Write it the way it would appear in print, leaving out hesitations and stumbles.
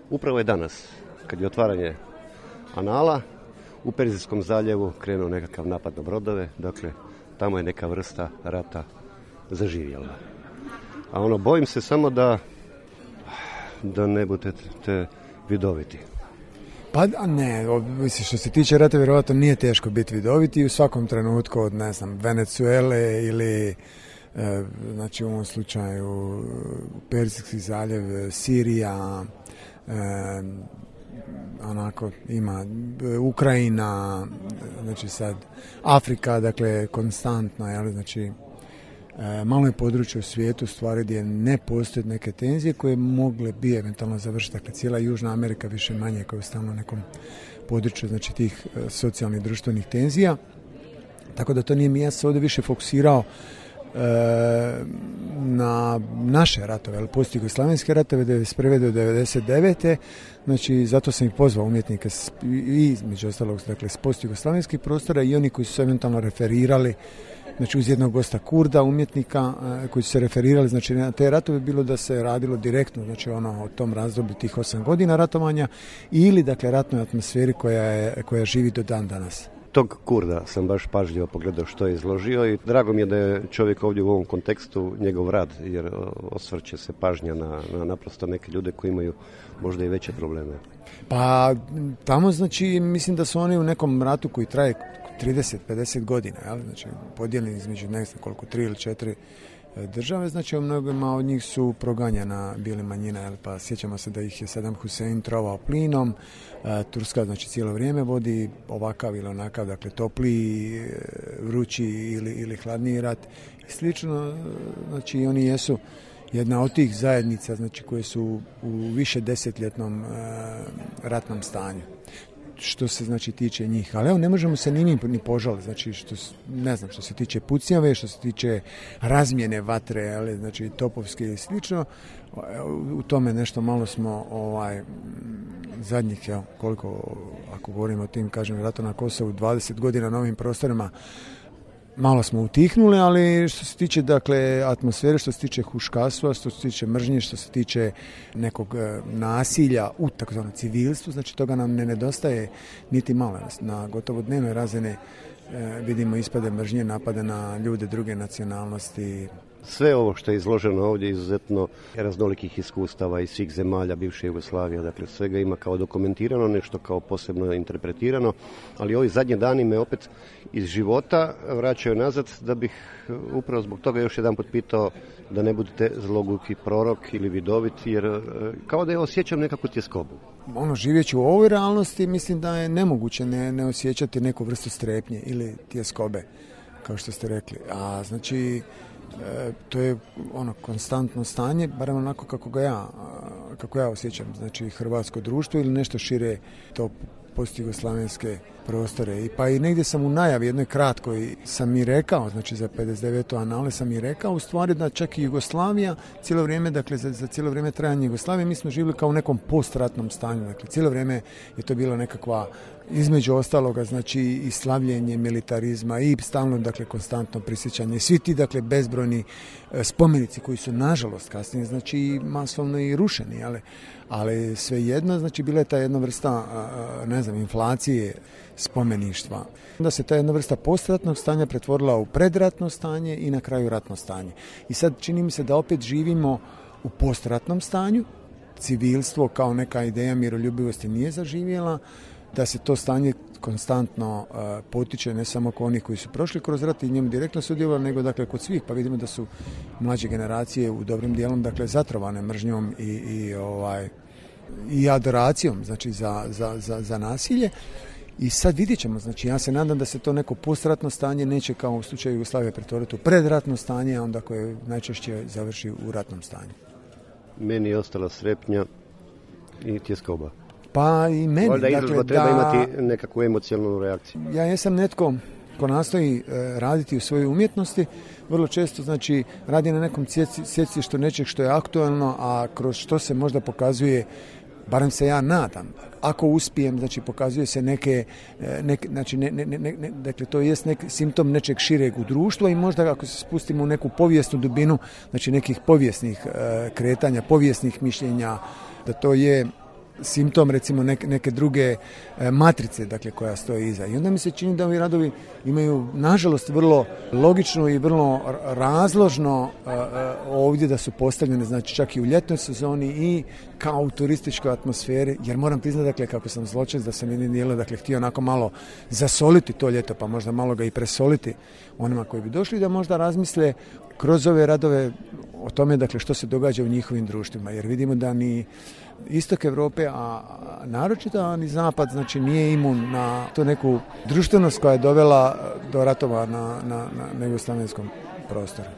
Upravo je danas, kad je otvaranje Anala, u Perzijskom zaljevu krenuo nekakav napad na brodove, dakle, tamo je neka vrsta rata zaživjela. A bojim se samo da ne budete vidoviti. Pa ne, što se tiče rata, vjerovatno nije teško biti vidoviti u svakom trenutku od, Venezuele ili, u ovom slučaju, Perzijski zaljev, Sirija, ima Ukrajina, sad Afrika, dakle, konstantno, malo je područje u svijetu stvari gdje ne postoje neke tenzije koje mogle bi eventualno završiti. Dakle, cijela Južna Amerika više manje koja je stalno u nekom području, tih socijalnih društvenih tenzija. Tako da to nije mi, ja se ovdje više fokusirao na naše ratove, ali postoji jugoslavenske ratove 1991. do 1999. Zato sam ih pozvao umjetnike i između ostalog, s post-jugoslavenskih prostora i oni koji su se eventualno referirali, uz jednog gosta Kurda, umjetnika koji su se referirali, na te ratove, bilo da se radilo direktno, o tom razdoblju tih 8 godina ratovanja ili, ratnoj atmosferi koja živi do dan danas. Tog Kurda sam baš pažljivo pogledao što je izložio i drago mi je da je čovjek ovdje u ovom kontekstu njegov rad, jer osvrće se pažnja na naprosto neke ljude koji imaju možda i veće probleme. Pa tamo, mislim da su oni u nekom ratu koji traje 30-50 godina, podijeljeni između 3 ili 4 države, u mnogima od njih su proganjana bile manjina, pa sjećamo se da ih je Saddam Hussein trovao plinom, Turska cijelo vrijeme vodi ovakav ili onakav, topliji, vrući ili hladniji rat i slično, oni jesu jedna od tih zajednica, koje su u više desetljetnom ratnom stanju. Što se tiče njih, ali ne možemo se ni požaliti, što se tiče pucnjave, što se tiče razmjene vatre, topovske i slično, u tome nešto malo smo zadnjih, koliko, ako govorimo o tim, ratu na Kosovu, 20 godina na ovim prostorima, malo smo utihnuli, ali što se tiče atmosfere, što se tiče huškastva, što se tiče mržnje, što se tiče nekog nasilja u takozvanom civilstvu, toga nam ne nedostaje niti malo. Na gotovo dnevnoj razini vidimo ispade mržnje, napade na ljude druge nacionalnosti. Sve ovo što je izloženo ovdje izuzetno raznolikih iskustava iz svih zemalja bivše Jugoslavije, dakle svega ima kao dokumentirano, nešto kao posebno interpretirano, ali ovi zadnji dani me opet iz života vraćaju nazad, da bih upravo zbog toga još jedan put pitao da ne budete zloguki prorok ili vidovit, jer kao da je osjećam nekakvu tjeskobu. Živeći u ovoj realnosti, mislim da je nemoguće ne osjećati neku vrstu strepnje ili tjeskobe, kao što ste rekli. A to je konstantno stanje, barem onako kako ja osjećam, hrvatsko društvo ili nešto šire to postjugoslavenske prostore. Pa i negdje sam u najavi jednoj kratkoj sam i rekao, za 59. Anale sam i rekao u stvari da čak i Jugoslavija cijelo vrijeme, za cijelo vrijeme trajanja Jugoslavije mi smo živjeli kao u nekom postratnom stanju, cijelo vrijeme je to bilo nekakva, između ostaloga, i slavljenje militarizma i stalno, konstantno prisjećanje. Svi ti, bezbrojni spomenici koji su, nažalost, kasnije, masovno i rušeni, ali svejedno, bila je ta jedna vrsta, inflacije spomeništva. Onda se ta jedna vrsta postratnog stanja pretvorila u predratno stanje i na kraju ratno stanje. I sad čini mi se da opet živimo u postratnom stanju, civilstvo kao neka ideja miroljubivosti nije zaživjela, da se to stanje konstantno potiče ne samo kod onih koji su prošli kroz rat i njemu direktno sudjelovali, nego kod svih, pa vidimo da su mlađe generacije u dobrim dijelom zatrovane mržnjom i adoracijom za nasilje. I sad vidjet ćemo, ja se nadam da se to neko postratno stanje neće kao u slučaju Jugoslavije pretvoriti u predratno stanje, a onda koje najčešće završi u ratnom stanju. Meni je ostala strepnja i tjeskoba. Pa i meni. Valjda izložba treba imati nekakvu emocionalnu reakciju. Ja jesam netko ko nastoji raditi u svojoj umjetnosti, vrlo često radi na nekom sjecištu nečeg što je aktualno, a kroz što se možda pokazuje, barem se ja nadam, ako uspijem, pokazuje se dakle to jest neki simptom nečeg šireg u društvu i možda ako se spustimo u neku povijesnu dubinu, nekih povijesnih kretanja, povijesnih mišljenja, da to je simptom recimo neke druge matrice, dakle, koja stoji iza. I onda mi se čini da ovi radovi imaju nažalost vrlo logično i vrlo razložno ovdje da su postavljene, znači čak i u ljetnoj sezoni i kao u turističkoj atmosferi, jer moram priznati, dakle, kako sam zločest da sam jednim dijelom, dakle, htio onako malo zasoliti to ljeto, pa možda malo ga i presoliti onima koji bi došli, da možda razmisle kroz ove radove o tome, dakle, što se događa u njihovim društvima, jer vidimo da ni istok Europe, a naročito ni zapad, znači nije imun na to neku društvenost koja je dovela do ratova na jugoslavenskom prostoru.